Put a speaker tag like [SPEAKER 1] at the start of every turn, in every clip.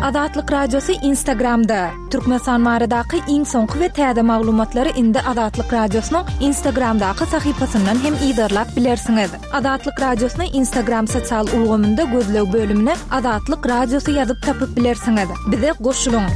[SPEAKER 1] Azatlyk Radiosy Instagramda! Türkmenistan baradaky iň soňky we täze maglumatlary indi Azatlyk Radiosynyň Instagramdaky sahypasyndan hem yzarlap bilersiňiz. Azatlyk Radiosyny Instagram sosial ulgamynda gözleg bölümine Azatlyk Radiosy ýazyp tapyp bilersiňiz. Bize goşulyň!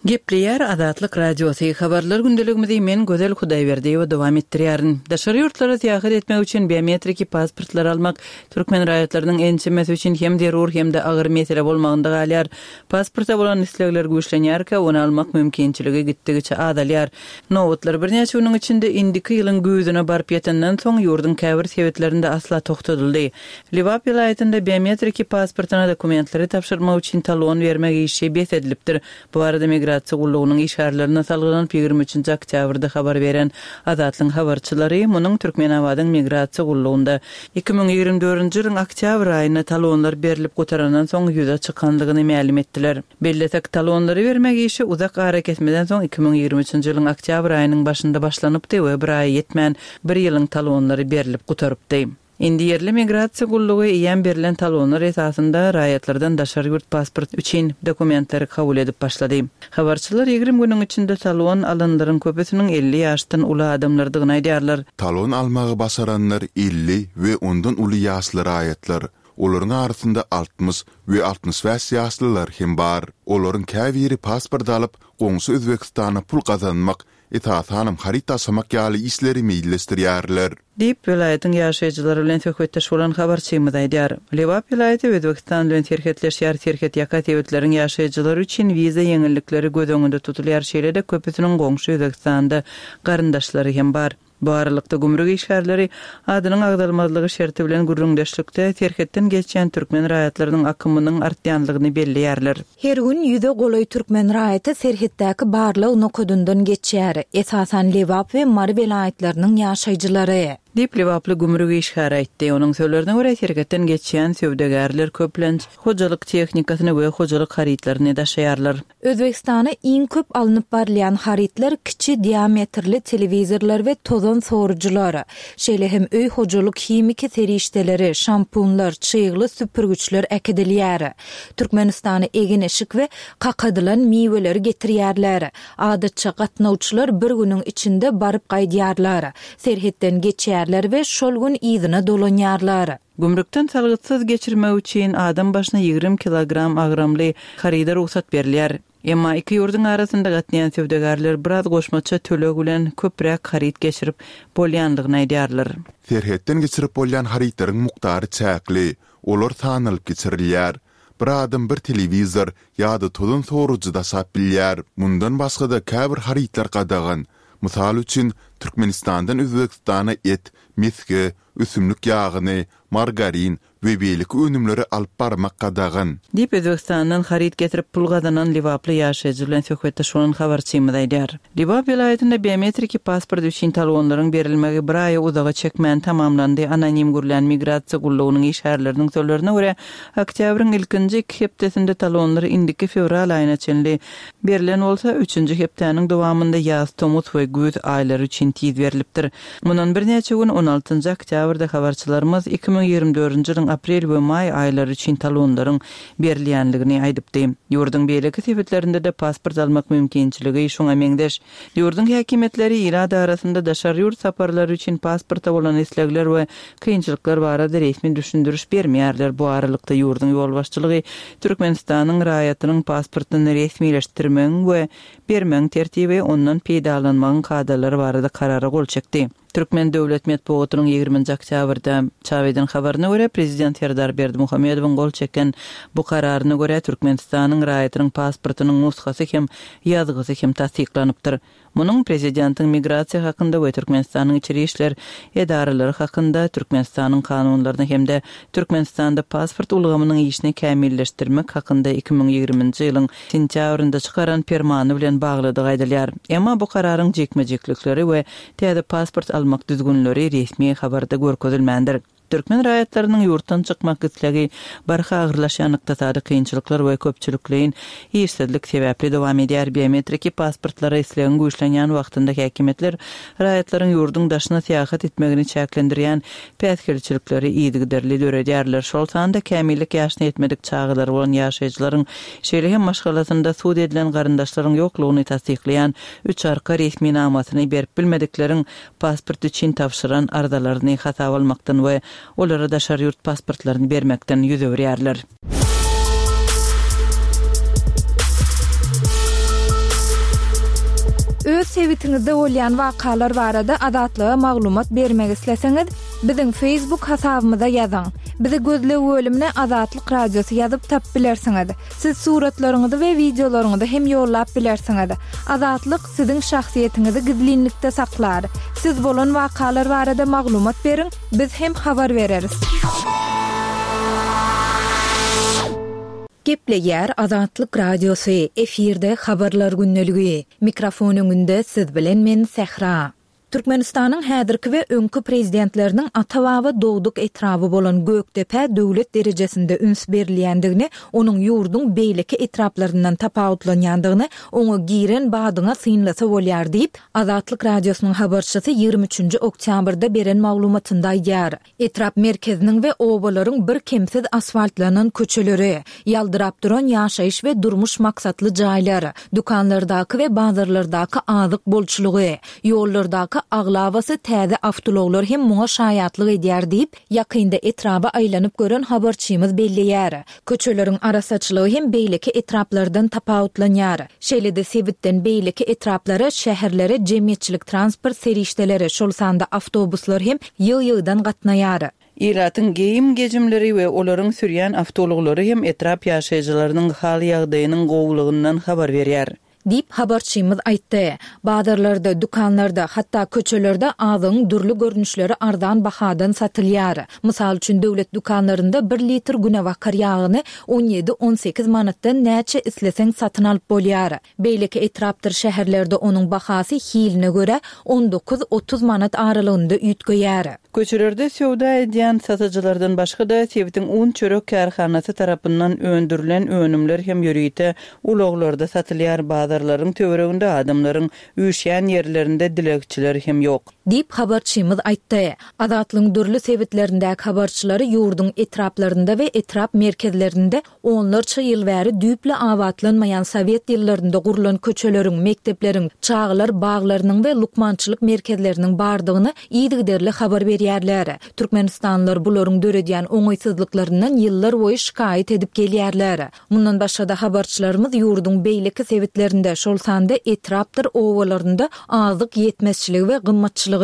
[SPEAKER 2] Gepleýär Azatlyk Radiosy, Habarlar gündeligimizi men Gözel Hudaýberdiýewa dowam etdirýärin. Daşary ýurtlara syýahat etmek üçin biometriki pasportlary almak türkmen raýatlarynyň ençemesi üçin hem zerur hem-de agyr mesele bolmagynda galýar. Pasporta bolan islegler güýçlenýärkä, ony almak mümkinçiligi gitdigiçe azalýar. Nobatlar birnäçe günüň içinde indiki ýylyň güýzüne baryp ýetenden soň, ýurduň käbir sebitlerinde asla togtadyldy. Lebap welaýatynda biometriki pasportyna dokumentleri tabşyrmak üçin talon bermek işi bes edilipdir. Bu barada Migrasiýa gullugynyň işgärlerine salgylanyp, 23-nji oktýabrda habar beren Azatlygyň habarçylary munuň Türkmenabadyň Migrasiýa gullugynda 2024-nji ýylyň oktýabr aýynda talonlar berlip gutarandan soň ýüze çykandygyny mälim etdiler. Bellesek, talonlary bermek işi uzak arakesmeden soň 2023-nji ýylyň oktýabr aýynyň başynda başlanypdy we bir aýa ýetmän bir ýylyň talonlary berlip gutarypdy. Indi ýerli migrasiýa gullugy eýýäm berlen talonlar esasynda raýatlardan daşary ýurt pasport üçin dokumentleri kabul edip başlady. Habarçylar 20 günüň içinde talon alanlaryň köpüsiniň 50 ýaşdan uly adamlardygyny aýdýarlar.
[SPEAKER 3] Talon almagy başaranlar 50 we ondan uly ýaşly raýatlar. Olaryň arasynda 60 we 65 ýaşlylar hem bar. Olaryň käbiri pasport alyp, goňşy Özbegistana pul gazanmak esasanam haryt daşamak ýaly işleri meýilleşdirýärler.
[SPEAKER 2] Diýip, welaýatyň ýaşaýjylary bilen söhbetdeş bolan habarçymyz aýdýar. Lebap welaýaty Özbegistan bilen serhetleşýär, serhetýaka sebitleriň ýaşaýjylary üçin wiza ýeňillikleri göz öňünde tutulýar, şeýle-de köpüsiniň goňşy Özbegistanda garyndaşlary hem bar. Bu aralykda, gümrük işgärleri adynyň agzalmazlygy şerti bilen gürrüňdeşlikde serhetden geçýän türkmen raýatlarynyň akymynyň artýanlygyny belleýärler.
[SPEAKER 1] Her gün ýüze golaý türkmen raýaty serhetdäki barlag nokadyndan geçýär, esasan Lebap we Mary welaýatlarynyň ýaşaýjylary.
[SPEAKER 2] Diýip, lebaply gümrük işgäri aýtdy. Onuň sözlerine görä, serhetden geçýän söwdagärler köplenç hojalyk tehnikasyny we hojalyk harytlaryny daşaýarlar.
[SPEAKER 1] Özbegistana iň köp alnyp barylýan harytlar kiçi diametrli telewizorlar we tozan sorujylar. Şeýle hem öý hojalyk himiki serişdeleri, şampunlar, çygly süpürgiçler äkidilýär. Türkmenistana egin-eşik we kakadylan miweleri getirýärler. Adatça gatnawçylar bir günüň içinde baryp gaýdýarlar. Serhetden geçýärler we şol gün yzyna dolanýarlar.
[SPEAKER 2] Gümrükden salgytsyz geçirmek üçin adam başyna 20 kilogram agramly haryda rugsat berilýär. Emma iki ýurduň arasynda gatnaýan söwdagärler biraz goşmaça töleg bilen köpräk haryt geçirip bolýandygyny aýdýarlar.
[SPEAKER 3] Serhetden geçirip bolýan harytlaryň mukdary çäkli, olar sanalyp geçirilýär. Bir adam bir telewizor ýa-da tozan sorujy daşap bilýär. Mundan başga-da käbir harytlar gadagan. Mysal üçin, Türkmenistandan Özbegistana et, mesge, ösümlik ýagyny, margarin we beýleki önümleri alyp barmak gadagan.
[SPEAKER 2] Diýip, Özbegistandan haryt getirip pul gazanan lebaply ýaşaýjy bilen söhbetdeş bolan habarçymyz aýdýar. Lebap welaýatynda biometriki pasport üçin talonlaryň berilmegi bir aýa uzaga çekmän tamamlandy. Anonim gürlän migrasiýa gullugynyň işgärleriniň sözlerine görä, oktýabryň ilkinji iki hepdesinde talonlar indiki fewral aýyna çenli berlen bolsa, üçünji hepdäniň dowamynda ýaz, tomus we güýz aýlary üçin tiz berlipdir. Mundan birnäçe gün on altynjy oktýabrda habarçylarymyz 2024-nji ýylyň aprel we maý aýlary üçin talonlaryň berilýänligini aýdypdy. Ýurduň beýleki sebitlerinde-de pasport almak mümkinçiligi şuňa meňzeş. Ýurduň häkimiýetleri ilat arasynda daşary ýurt saparlary üçin pasporta bolan islegler we kynçylyklar barada resmi düşündiriş bermeýärler. Bu aralykda ýurduň ýolbaşçylygy Türkmenistanyň raýatynyň pasportyny resmileşdirmegiň we bermegiň tertibi, ondan peýdalanmagyň kadalary barada karara gol çekdi. Türkmen döwlet metbugatynyň ýigriminji oktýabrda çap eden habaryna görä, prezident Serdar Berdimuhamedowyň gol çeken bu kararyna görä, Türkmenistanyň raýatynyň pasportynyň nusgasy hem ýazgysy hem tassyklanypdyr. Munuň Prezidentiň Migrasiýa hakynda we Türkmenistanyň Içeri işler edaralary hakynda Türkmenistanyň Kanunlaryna hem-de Türkmenistanda pasport ulgamynyň işini kämilleşdirmek hakynda 2020-nji ýylyň sentýabrynda çykaran Permany bilen baglydygy aýdylýar. Emma bu kararyň jikme-jiklikleri we täze pasport almak düzgünleri resmi habarda görkezilmändir. Türkmen raýatlarynyň ýurtdan çykmak islegi barha agyrlaşýan ykdysady kynçylyklar we köpçülikleýin işsizlik sebäpli dowam edýär. Biometriki pasportlara islegiň güýçlenýän wagtynda häkimiýetler raýatlaryň ýurduň daşyna syýahat etmegini çäklendirýän päsgelçilikleri yzygiderli döredýärler, şol sanda kämillik ýaşyna ýetmedik çagalary bolan ýaşaýjylaryň, şeýle hem maşgalasynda sud edilen garyndaşlaryň ýoklugyny tassyklaýan üç arka resminamasyny berip bilmedikleriň pasport üçin tabşyran arzalaryny hasaba almakdan we olara daşary ýurt pasportlaryny bermekden ýüz öwürýärler.
[SPEAKER 1] Öz sebitiňizde bolýan wakalar barada Azatlyga maglumat bermek isleseňiz, biziň Facebook hasabymyza ýazyň. Bizi gözleg bölümine Azatlyk Radiosy ýazyp tapyp bilersiňiz. Siz suratlaryňyzy we wideolaryňyzy hem ýollap bilersiňiz. Azatlyk siziň şahsyýetiňizi gizlinlikde saklar. Siz bolan wakalar barada maglumat beriň, biz hem habar bereris. Gepleýär Azatlyk Radiosy, efirde Habarlar gündeligi. Mikrofon öňünde siz bilen men Sähra. Türkmenistanyň häzirki we öňki prezidentleriniň ata-baba dogduk etraby bolan Gökdepä döwlet derejesinde üns berilýändigini, onuň ýurduň beýleki etraplaryndan tapawutlanýandygyny oňa giren badyňa synlasa bolýar diýip, Azatlyk Radiosynyň habarçysy 23 üçünji oktýabrda beren maglumatynda aýdýar. Etrap merkeziniň we obalaryň birkemsiz asfaltlanan köçeleri, ýaldyrap duran ýaşaýyş we durmuş maksatly jaýlar, dükanlardaky we bazarlardaky azyk bolçulygy, ýollardaky aglabasy täze awtoulaglar hem muňa şaýatlyk edýär diýip, ýakynda etraba aýlanyp gören habarçymyz belleýär. Köçeleriň arassaçylygy hem beýleki etraplardan tapawutlanýar. Şeýle-de sebitden beýleki etraplara, şäherlere jemgyýetçilik transport serişdeleri, şol sanda awtobuslar hem ýygy-ýygydan gatnaýar.
[SPEAKER 2] Ilatyň geýim-gejimleri we olaryň sürýän awtoulaglary hem etrap ýaşaýjylarynyň hal-ýagdaýynyň gowulygyndan habar berýär.
[SPEAKER 1] Diýip, habarçymyz aýtdy. Bazarlarda, dükanlarda, hatda köçelerde azygyň dürli görnüşleri arzan bahadan satylýar. Mysal üçin, döwlet dükanlarynda bir litr günebakar ýagyny on ýedi-on sekiz manatdan näçe isleseň satyn alyp bolýar. Beýleki etrapdyr şäherlerde onuň bahasy hiline görä on dokuz-otuz manat aralygynda üýtgeýär.
[SPEAKER 2] Köçelerde söwda edýän satyjylardan başga-da, sebitiň un-çörek kärhanasy tarapyndan öndürilen önümler hem ýörite ulaglarda satylýar, bazarlaryň töwereginde adamlaryň üýşýän ýerlerinde dilegçiler hem ýok.
[SPEAKER 1] Diýip, habarçymyz aýtdy. Azatlygyň dürli sebitlerindäki habarçylary ýurduň etraplarynda we etrap merkezlerinde Onlarça ýyl bäri düýpli abatlanmaýan sowet ýyllarynda gurlan köçeleriň, mekdepleriň, çagalar baglarynyň we lukmançylyk merkezleriniň bardygyny yzygiderli habar berýärler. Türkmenistanlylar bularyň döredýän oňaýsyzlyklaryndan ýyllar boýy şikaýat edip gelýärler. Mundan başga-da habarçylarymyz ýurduň beýleki sebitlerinde, şol sanda etrapdyr obalarynda azyk ýetmezçiligi we gymmatçylygy,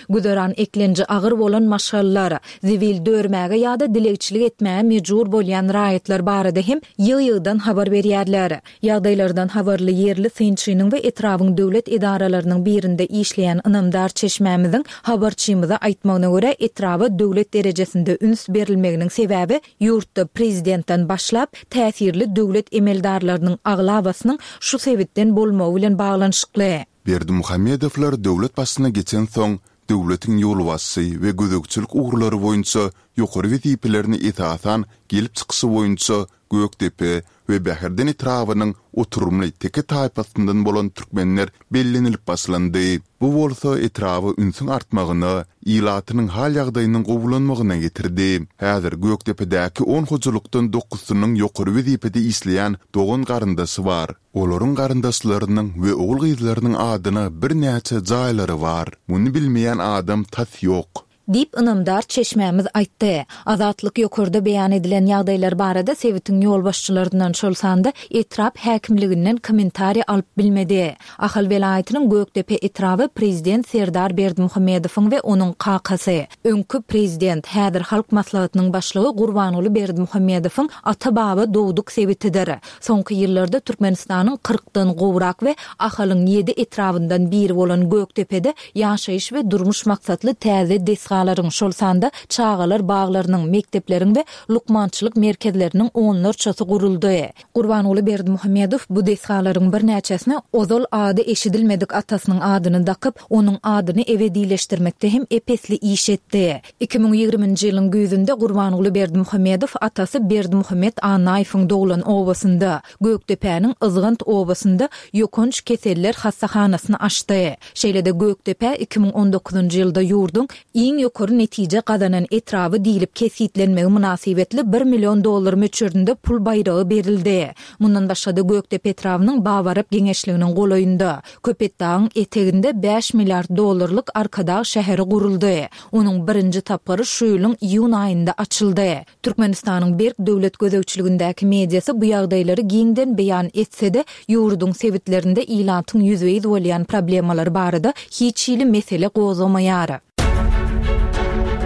[SPEAKER 1] Güzeran eklenji agyr bolan maşgalalar, zibil dörmäge ýa-da dilegçilik etmäge mejbur bolýan raýatlar barada hem ýygy-ýygydan habar berýärler. Ýagdaýlardan habarly ýerli synçynyň we etrabyň döwlet edaralarynyň birinde işleýän ynamdar çeşmämiziň habarçymyza aýtmagyna görä, etraba döwlet derejesinde üns berilmeginiň sebäbi ýurtda prezidentden başlap, täsirli döwlet emeldarlarynyň aglabasynyň şu sebitden bolmagy bilen baglanyşykly.
[SPEAKER 3] Berdimuhamedowlar döwlet başyna geçensoň, döwletiň ýolbaşçy we gözegçilik ugurlary boýunça ýokary wezipelerini esasan gelip çykyşy boýunça Gökdepe we Bäherden etrabynyň oturymly teke taýpasyndan bolan türkmenler bellenilip başlandy. Bu bolsa etraba ünsüň artmagyna, ilatynyň hal-ýagdaýynyň gowulanmagyna getirdi. Häzir Gökdepedäki on hojalykdan dokuzysynyň ýokary wezipede işleýän dogan-garyndaşy bar. Olaryň garyndaşlarynyň we ogul-gyzlarynyň adyna birnäçe jaýlary bar. Muny bilmeýän adam tas ýok.
[SPEAKER 1] Diýip, ynamdar çeşmämiz aýtdy. Azatlyk ýokarda beýan edilen ýagdaýlar barada sebitiň ýolbaşçylaryndan, şol sanda etrap häkimliginden kommentariý alyp bilmedi. Ahal welaýatynyň Gökdepe etraby prezident Serdar Berdimuhamedowyň we onuň kakasy, öňki prezident, häzir Halk Maslahatynyň başlygy Gurbanguly Berdimuhamedowyň ata-baba dogduk sebitidir. Soňky ýyllarda Türkmenistanyň kyrkdan gowrak we Ahalyň ýedi etrabyndan biri bolan Gökdepede ýaşaýyş we durmuş maksatly täze desgalar. desgalaryň, şol sanda çagalar baglarynyň, mekdepleriň we lukmançylyk merkezleriniň onlarçasy guruldy. Gurbanguly Berdimuhamedow bu desgalaryň birnäçesine ozal ady eşidilmedik atasynyň adyny dakyp, onuň adyny ebedileşdirmekde hem ep-esli iş etdi. 2020-nji ýylyň güýzünde Gurbanguly Berdimuhamedow atasy Berdimuhamet Annaýewiň doglan obasynda, Gökdepäniň Yzgant obasynda ýokanç keseller hassahanasyny açdy. Şeýle-de Gökdepä 2019-njy ýylda ýurduň iň ýokary netije gazanan etraby diýlip kesgitlenmegi mynasybetli bir million dollar möçberinde pul baýragy berildi. Mundan başga-da Gökdepe etrabynyň Babarap geňeşliginiň golaýynda, Köpetdagyň eteginde bäş milliard dollarlyk Arkadag şäheri guruldy. Onuň birinji tapgyry şu ýylyň iýun aýynda açyldy. Türkmenistanyň berk döwlet gözegçiligindäki mediasy bu ýagdaýlary giňden beýan etse-de, ýurduň sebitlerinde ilatyň ýüzbe-ýüz bolýan problemalary barada hiç hili mesele gozgamaýar.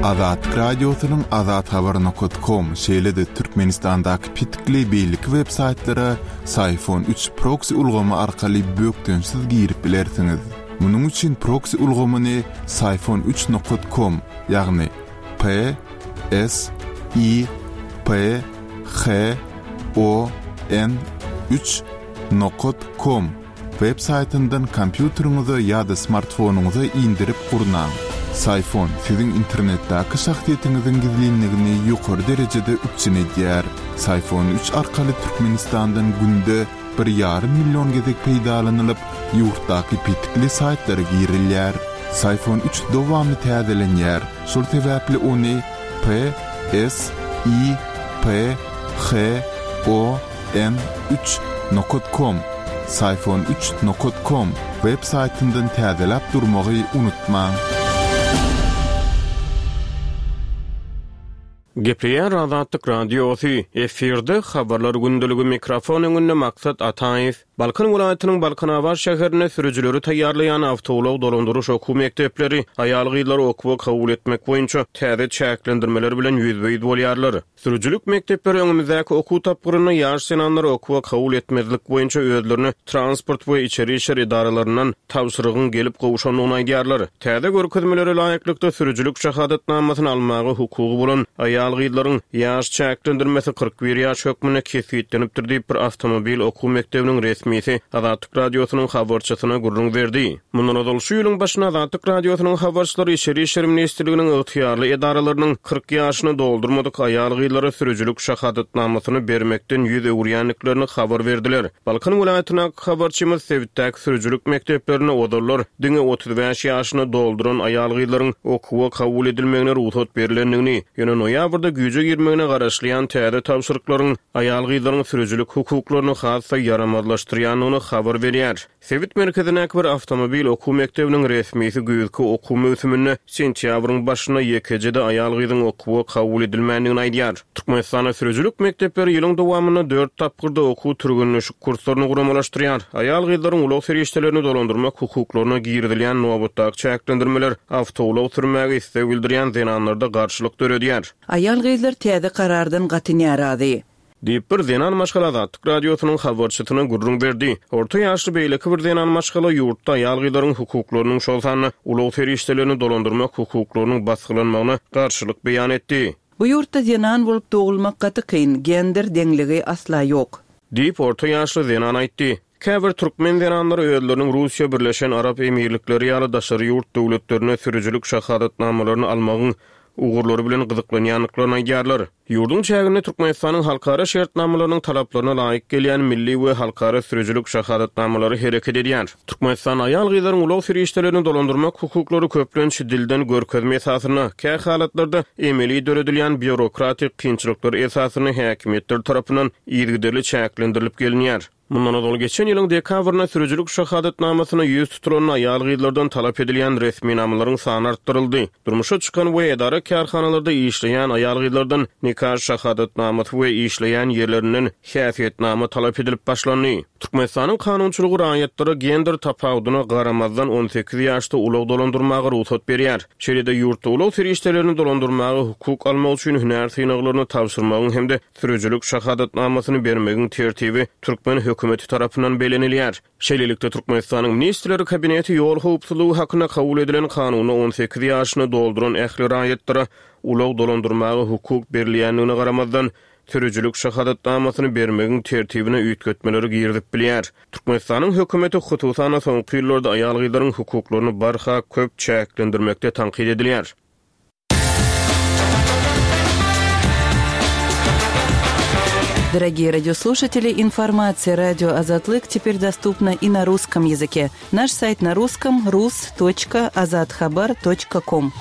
[SPEAKER 3] Azatlyk Radiosynyň Azathabar nokat kom, şeýle-de Türkmenistandaky petikli beýleki web saýtlara Syfon üç proksi ulgamy arkaly bökdençsiz girip bilersiňiz. Munuň üçin proksi ulgamyny Syfon üç nokat kom, ýagny P S I P H O N üç nokat kom web saýtyndan kompýuteriňize ýa-da smartfonyňyza indirip gurnaň. Syfon siziň internetdäki şahsyýetiňiziň gizlinligini ýokary derejede üpjün edýär. Syfon üç arkaly Türkmenistandan günde bir ýarym million gezek peýdalanylyp, ýurtdaky petikli saýtlara girilýär. Syfon üç dowamly täzelenýär, şol sebäpli ony P S I P H O N üç nokat kom, Syfon üç nokat kom, web saýtyndan täzeläp durmagy unutmaň.
[SPEAKER 4] Gepleýär Azatlyk Radiosy, efirde Habarlar gündeligi mikrofon öňünde Maksat Ataýew. Balkan welaýatynyň Balkanabat şäherinde sürüjileri taýýarlaýan awtoulag dolandyryş okuw mekdepleri aýal-gyzlary okuwa kabul etmek boýunça täze çäklendirmeler bilen ýüzbe-ýüz bolýarlar. Sürüjilik mekdepleri öňümizdäki okuw tapgyrynda ýaş zenanlary okuwa kabul etmezlik boýunça özlerine transport we içeri işler edaralaryndan tabşyrygyň gelip gowşandygyny aýdýarlar. Täze görkezmelere laýyklykda, sürüjilik şahadatnamasyny almaga hukugy bolan aýal-gyzlaryň ýaş çäklendirmesi 41 ýaş hökmünde kesgitlenipdir diýip, bir awtomobil okuw mekdebiniň resmisi Azatlyk Radiosynyň habarçysyna gürrüň berdi. Mundan ozal, şu ýylyň başynda Azatlyk Radiosynyň habarçylary Içeri işler ministrliginiň ygtyýarly edaralarynyň 40 ýaşyny doldurmadyk aýal-gyzlara sürüjilik şahadatnamasyny bermekden ýüz öwürýändiklerini habar berdiler. Balkan welaýatyndaky habarçymyz sebitdäki sürüjilik mekdeplerinde ozallar diňe 35 ýaşyny dolduran aýal-gyzlaryň okuwa kabul edilmegine rugsat berlendigini, ýöne noýabrda güýje girmegine garaşylýan täze tabşyryklaryň aýal-gyzlaryň sürüjilik hukuklaryny has-da ýaramazlaşdyrýandygyny habar berýär. Sebit merkezindäki bir awtomobil okuw mekdebiniň resmisi güýzki okuw möwsüminde sentýabryň başynda ýekeje-de aýal-gyzyň okuwa kabul edilmändigini aýdýar. Türkmenistanda sürüjilik mekdepleri ýylyň dowamynda dört tapgyrda okuw-türgenleşik kurslaryny guramalaşdyrýar. Aýal-gyzlaryň ulag serişdelerini dolandyrmak hukuklaryna girizilýän nobatdaky çäklendirmeler awtoulag sürmäge isleg bildirýän zenanlarda garşylyk döredýär.
[SPEAKER 2] Aýal-gyzlar täze karardan gaty närazy.
[SPEAKER 4] Diýip, bir zenan maşgala Azatlyk Radiosynyň habarçysyna gürrüň berdi. Orta ýaşly beýleki bir zenan maşgala ýurtda aýal-gyzlaryň hukuklarynyň, şol sanda ulag serişdelerini dolandyrmak hukuklarynyň basgylanmagyna garşylyk beýan etdi.
[SPEAKER 2] Bu ýurtda zenan bolup dogulmak gaty kyn, gender deňligi asla ýok.
[SPEAKER 4] Diýip, orta ýaşly zenan aýtdy. Käbir türkmen zenanlary özleriniň Russiýa, Birleşen Arap Emirlikleri ýaly daşary ýurt döwletlerinde sürüjilik şahadatnamalaryny almagyň ugurlary bilen gyzyklanýandyklaryny aýdýarlar. Ýurduň çäginde Türkmenistanyň halkara şertnamalarynyň talaplaryna laýyk gelýän milli we halkara sürüjilik şahadatnamalary hereket edýär. Türkmenistanda aýal-gyzlaryň ulag serişdelerini dolandyrmak hukuklary köplenç dilden görkezme esasynda, kä halatlarda emeli döredilýän býurokratik kynçylyklar esasynda häkimiýetler tarapyndan yzygiderli çäklendirilip gelinýär. Mundan ozal geçen ýylyň dekabrynda sürüjilik şahadatnamasyna ýüz tutulan aýal-gyzlardan talap edilýän resminamalaryň sany artdyryldy. Durmuşa çykan we edara-kärhanalarda işleýän aýal-gyzlardan nika şahadatnamasy we işleýän ýerlerinden häsiýetnama talap edilip başlandy. Türkmenistanyň kanunçylygy raýatlara gender tapawudyna garamazdan 18 ýaşda ulag dolandyrmaga rugsat berýär. Şeýle-de ýurtda ulag serişdelerini dolandyrmaga hukuk almak üçin hünär synaglaryny tabşyrmagyň hem-de Sürüjilik şahadatnamasyny bermegiň tertibi türkmen hökümetiniň. hökümeti tarapyndan bellenilýär. Şeýlelikde, Türkmenistanyň Ministrler Kabineti ýol howpsuzlygy hakynda kabul edilen Kanunda 18 ýaşyny dolduran ähli raýatlara ulag dolandyrmaga hukuk berilýändigine garamazdan, sürüjilik şahadatnamasyny bermegiň tertibine üýtgetmeleri girizip bilýär. Türkmenistanyň hökümeti, hususan-da, soňky ýyllarda aýal-gyzlaryň hukuklaryny barha köp çäklendirmekde tankyt edilýär.
[SPEAKER 2] Дорогие радиослушатели, информация радио Азатлык теперь доступна и на русском языке. Наш сайт на русском rus.azathabar.com.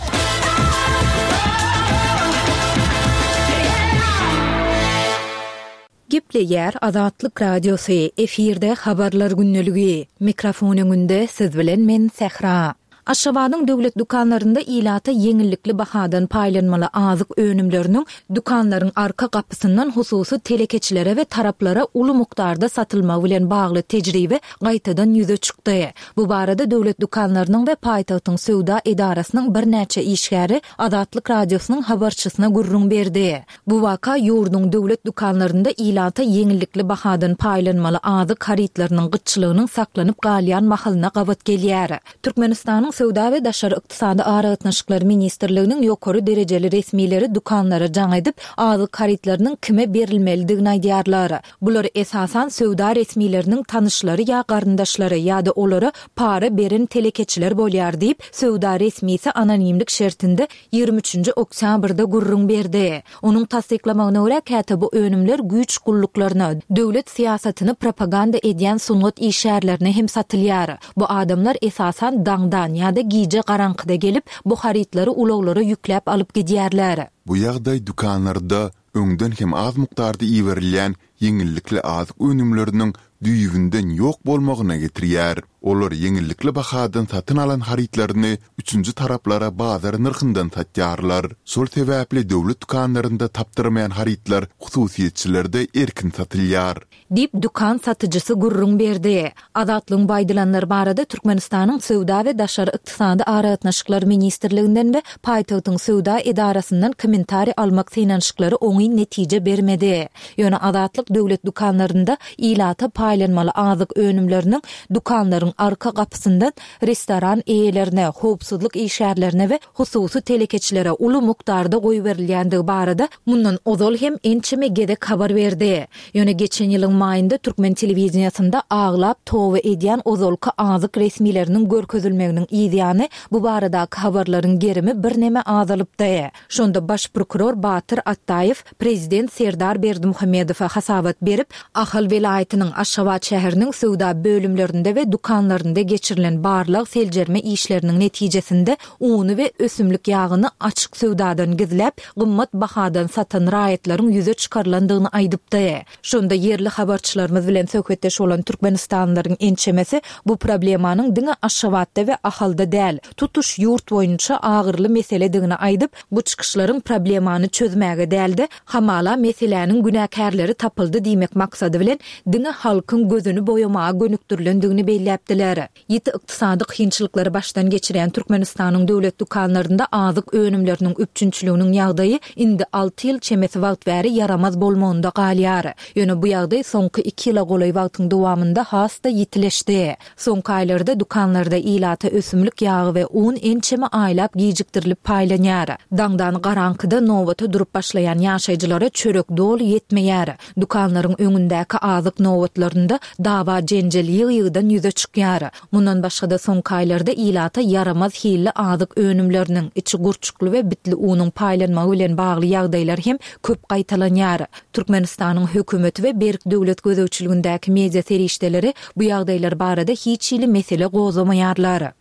[SPEAKER 1] Gepleýär Azatlyk Radiosy, efirde Habarlar gündeligi. Mikrofon öňünde siz bilen men Sähra. Aşgabadyň döwlet dükanlarynda ilata ýeňillikli bahadan paýlanmaly azyk önümleriniň dükanlaryň arka gapysyndan hususy telekeçilere we taraplara uly mukdarda satylmagy bilen bagly tejribe gaýtadan ýüze çykdy. Bu barada döwlet dükanlarynyň we paýtagtyň söwda edarasynyň birnäçe işgäri Azatlyk Radiosynyň habarçysyna gürrüň berdi. Bu waka ýurduň döwlet dükanlarynda ilata ýeňillikli bahadan paýlanmaly azyk harytlarynyň gytçylygynyň saklanyp galýan mahalyna gabat gelýär. Türkmenistanyň Söwda we daşary ykdysady aragatnaşyklar ministrliginiň ýokary derejeli resmileri dükanlara jaň edip, azyk harytlarynyň kime berilmelidigini aýdýarlar. Bular esasan söwda resmileriniň tanyşlary ýa garyndaşlary ýa-da olara para beren telekeçiler bolýar diýip, söwda resmisi anonimlik şertinde 23-nji oktýabrda gürrüň berdi. Onuň tassyklamagyna görä, käte bu önümler güýç gulluklaryna, döwlet syýasatyny propaganda edýän sungat işgärlerine hem satylýar. Bu adamlar esasan daňdan ýa-da gije garaňkyda gelip, bu harytlary ulaglara ýükläp alyp gidýärler.
[SPEAKER 3] Bu ýagdaý dükanlarda öňden hem az mukdarda iberilýän ýeňillikli azyk önümleriniň düýbünden ýok bolmagyna getirýär. Olar ýeňillikli bahadan satyn alan harytlaryny üçünji taraplara bazar nyrhyndan satýarlar. Şol sebäpli döwlet dükanlarynda tapdyrmaýan harytlar hususyýetçilerde erkin satylýar.
[SPEAKER 1] Diýip, dükan satyjysy gürrüň berdi. Azatlygyň bu aýdylanlar barada Türkmenistanyň Söwda we daşary ykdysady aragatnaşyklar ministrliginden we paýtagtyň söwda edarasyndan kommentariý almak synanyşyklary oňyn netije bermedi. Ýöne Azatlyk döwlet dükanlarynda ilata paýlanmaly azyk önümleriniň dükanlaryň arka gapysyndan restoran eýelerine, howpsuzlyk işgärlerine we hususy telekeçilere uly mukdarda goýberilýändigi barada mundan ozal hem ençeme gezek habar berdi. Ýöne geçen ýylyň maýynda türkmen telewideniýesinde aglap toba edýän ozalky azyk resmileriniň görkezilmeginiň yzýany bu baradaky habarlaryň gerimi birneme azalypdy. Şonda baş prokuror Batyr Atdaýew prezident Serdar Berdimuhamedowa hasabat berip, Ahal welaýatynyň Aşgabat şäheriniň söwda bölümlerinde we dükanlarynda geçirilen barlag-seljerme işleriniň netijesinde uny we ösümlik ýagyny açyk söwdadan gizläp, gymmat bahadan satan raýatlaryň ýüze çykarylandygyny aýdypdy. Şonda ýerli habarçylarymyz bilen söhbetdeş bolan türkmenistanlylaryň ençemesi bu problemanyň diňe Aşgabatda we Ahalda däl, tutuş ýurt boýunça agyryly meseledigini aýdyp, bu çykyşlaryň problemany çözmäge däl-de, hamala meseläniň günäkärleri tapyldy diýmek maksady bilen diňe halkyň gözüni boýamaga gönükdirilendigini belläpdiler. Ýiti ykdysady kynçylyklary başdan geçirýän Türkmenistanyň döwlet dükanlarynda azyk önümleriniň üpjünçiliginiň ýagdaýy indi alty ýyl çemesi wagt bäri ýaramaz bolmagynda galýar. Ýöne bu ýagdaý soňky iki ýyla golaý wagtyň dowamynda has-da ýitileşdi. Soňky aýlarda dükanlarda ilata ösümlik ýagy we un ençeme aýlap gijikdirilip paýlanýar. Daňdan garaňkyda nobata durup başlaýan ýaşaýjylara çörek doly ýetmeýär. Dükanlaryň öňündäki azyk nobatlarynda dawa-jenjel ýygy-ýygydan ýüze çykýar. Mundan başga-da soňky aýlarda ilata ýaramaz hilli azyk önümleriniň, içi gurçukly we bitli unuň paýlanmagy bilen bagly ýagdaýlar hem köp gaýtalanýar. Türkmenistanyň hökümeti we berk döwlet gözegçiligindäki media serişdeleri bu ýagdaýlar barada hiç hili mesele gozgamaýarlar.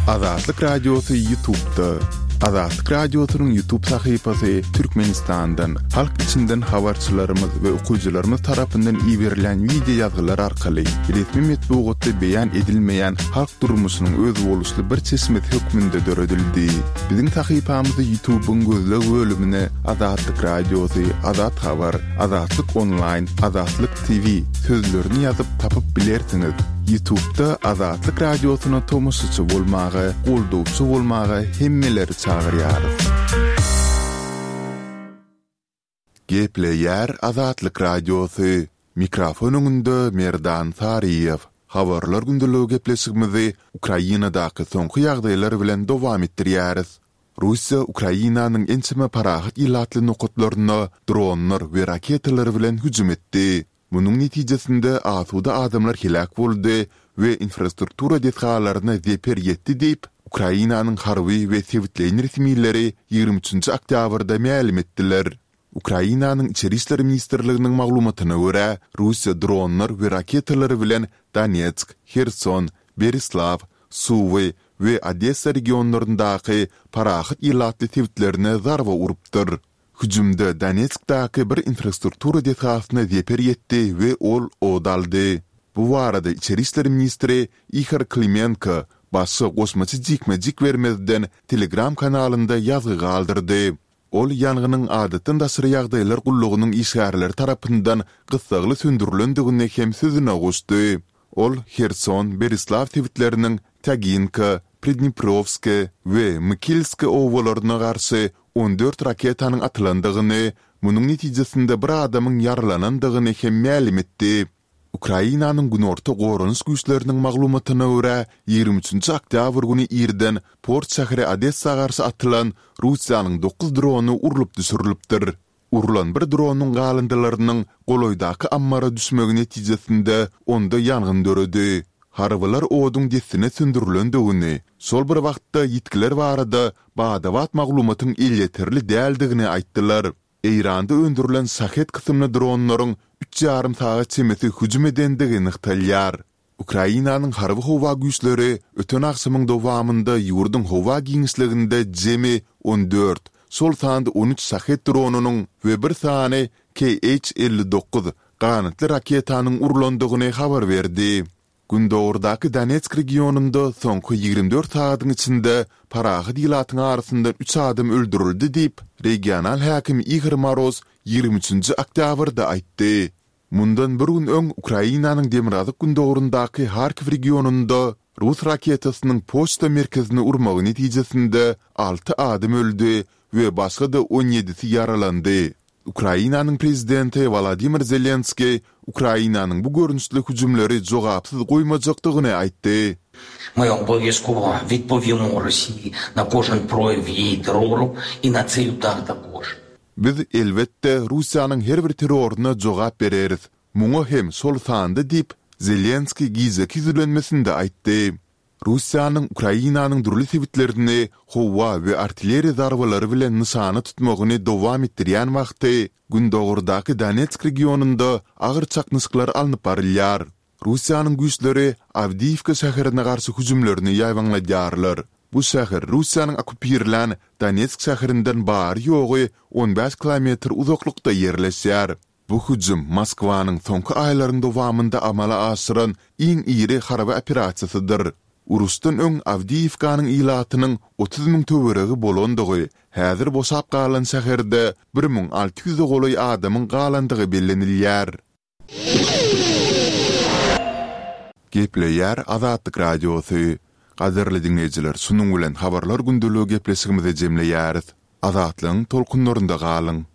[SPEAKER 3] Azatlyk Radiosy Ýutubda. Azatlyk Radiosynyň Ýutub sahypasy Türkmenistandan, halk içinden habarçylarymyz we okyjylarymyz tarapyndan iberilen wideo ýazgylar arkaly resmi metbugatda beýan edilmeýän halk durmuşynyň özboluşly bir çeşmesi hökmünde döredildi. Biziň sahypamyzy Ýutubyň gözleg bölümine Azatlyk Radiosy, Azat Habar, Azatlyk Onlaýn, Azatlyk TV sözlerini ýazyp tapyp bilersiňiz. Ýutubda Azatlyk Radiosyna tomaşaçy bolmaga, goldawçy bolmaga hemmeleri çagyrýarys. Gepleýär Azatlyk Radiosy, Mikrofon öňünde Merdan Saryýew. Habarlar gündeligi gepleşigimizi Ukrainadaky soňky ýagdaýlar bilen dowam etdirýäris. Russiýa Ukrainanyň ençeme parahat ilatly nokatlaryna dronlar we raketalar bilen hüjüm etdi. Munuň netijesinde asuda adamlar heläk boldy we infrastruktura desgalaryna zeper ýetdi diýip, Ukrainanyň harby we sebitleýin resmileri 23 nji oktýabrda mälim etdiler. Ukrainanyň Içeri işler ministrliginiň maglumatyna görä, Russiýa dronlar we raketalar bilen Donetsk, Herson, Berislaw, Suwy we Odessa regionlaryndaky parahat ilatly sebitlerine zarba urupdyr. Hüjümde Donetskdaky bir infrastruktura desgasyna zeper ýetdi we ol ot aldy. Bu barada içeri işler ministri Ihor Klimenko başga goşmaça jikme-jik bermezden Telegram kanalynda ýazgy galdyrdy. Ol ýangynyň Adatdan daşary ýagdaýlar gullugynyň işgärleri tarapyndan gyssagly söndürilendigini hem sözüne goşdy. Ol Herson, Berislaw sebitleriniň Týaginka, Pridneprowskiý we Mykilskiý obalaryna garşy 14 raketanyň atylandygyny, munuň netijesinde bir adamyň ýaralanandygyny hem mälim etdi. Ukrainanyň Günorta goranyş güýçleriniň maglumatyna görä, 23 nji oktýabr güni irden port şäheri Odessa garşy atylan Russiýanyň dokuz drony urlup düşürilipdir. Urlan bir dronyň galyndylarynyň golaýdaky ammara düşmegi netijesinde onda ýangyn döredi. Harbylar oduň dessine söndürilendigini, şol bir wagtda ýitgiler barada bada-bat maglumatyň elýeterli däldigini aýtdylar. Eýranda öndürilen Şahed kysymly dronlaryň üç ýarym sagat çemesi hüjüm edendigi nygtalýar. Ukrainanyň Harby-howa güýçleri öten agşamyň dowamynda ýurduň howa giňişliginde jemi 14, şol sanda 13 Şahed dronynyň we bir sany KH 59 ganatly raketanyň urlandygyny habar berdi. Gündogardaky Donetsk regionynda soňky 24 sagadyň içinde parahat ilatyň arasyndan üç adam öldürildi diýip, regional häkim Igor Moroz 23-nji oktýabrda aýtdy. Mundan bir gün öň Ukrainanyň demirgazyk-gündogaryndaky Harkiw regionynda rus raketasynyň poçta merkezini urmagy netijesinde alty adam öldi we başga-da on ýedisi ýaralandy. Ukrainanyň prezidenti Wolodymyr Zelenskiý Ukrainanyň bu görnüşli hüjümleri jogapsyz goýmajakdygyny aýtdy.
[SPEAKER 5] My obowiązkowo wypowiemy Rosji na kožen proýew ýeý terroru i na ceý udar takož.
[SPEAKER 3] Biz, elbetde, Russiýanyň her bir terroryna jogap bereris, muňa hem şol sanda diýip, Zelenskiý gijeki ýüzlenmesinde aýtdy. Russiýanyň Ukrainanyň dürli sebitlerini howa we artilleriýa zarbalary bilen nyşana tutmagyny dowam etdirýän wagty, gündogardaky Donetsk regionynda agyr çaknyşyklar alnyp barylýar. Russiýanyň güýçleri Awdiýiwka şäherine garşy hüjümlerini ýaýbaňladýarlar. Bu şäher Russiýanyň okkupirlän Donetsk şäherinden bary-ýogy 15 kilometr uzaklykda ýerleşýär. Bu hüjüm Moskwanyň soňky aýlaryň dowamynda amala aşyran iň iri harby operasiýasydyr. Uruşdan öň Awdiýiwkanyň ilatynyň 30 müň töweregi bolandygy, häzir boşap galan şäherde 1600-e golaý adamyň galandygy bellenilýär. Gepleýär Azatlyk Radiosy. Gadyrly diňleýjiler, şunuň bilen Habarlar gündeligi gepleşigimizi jemleýäris. Azatlygyň tolkunlarynda galyň!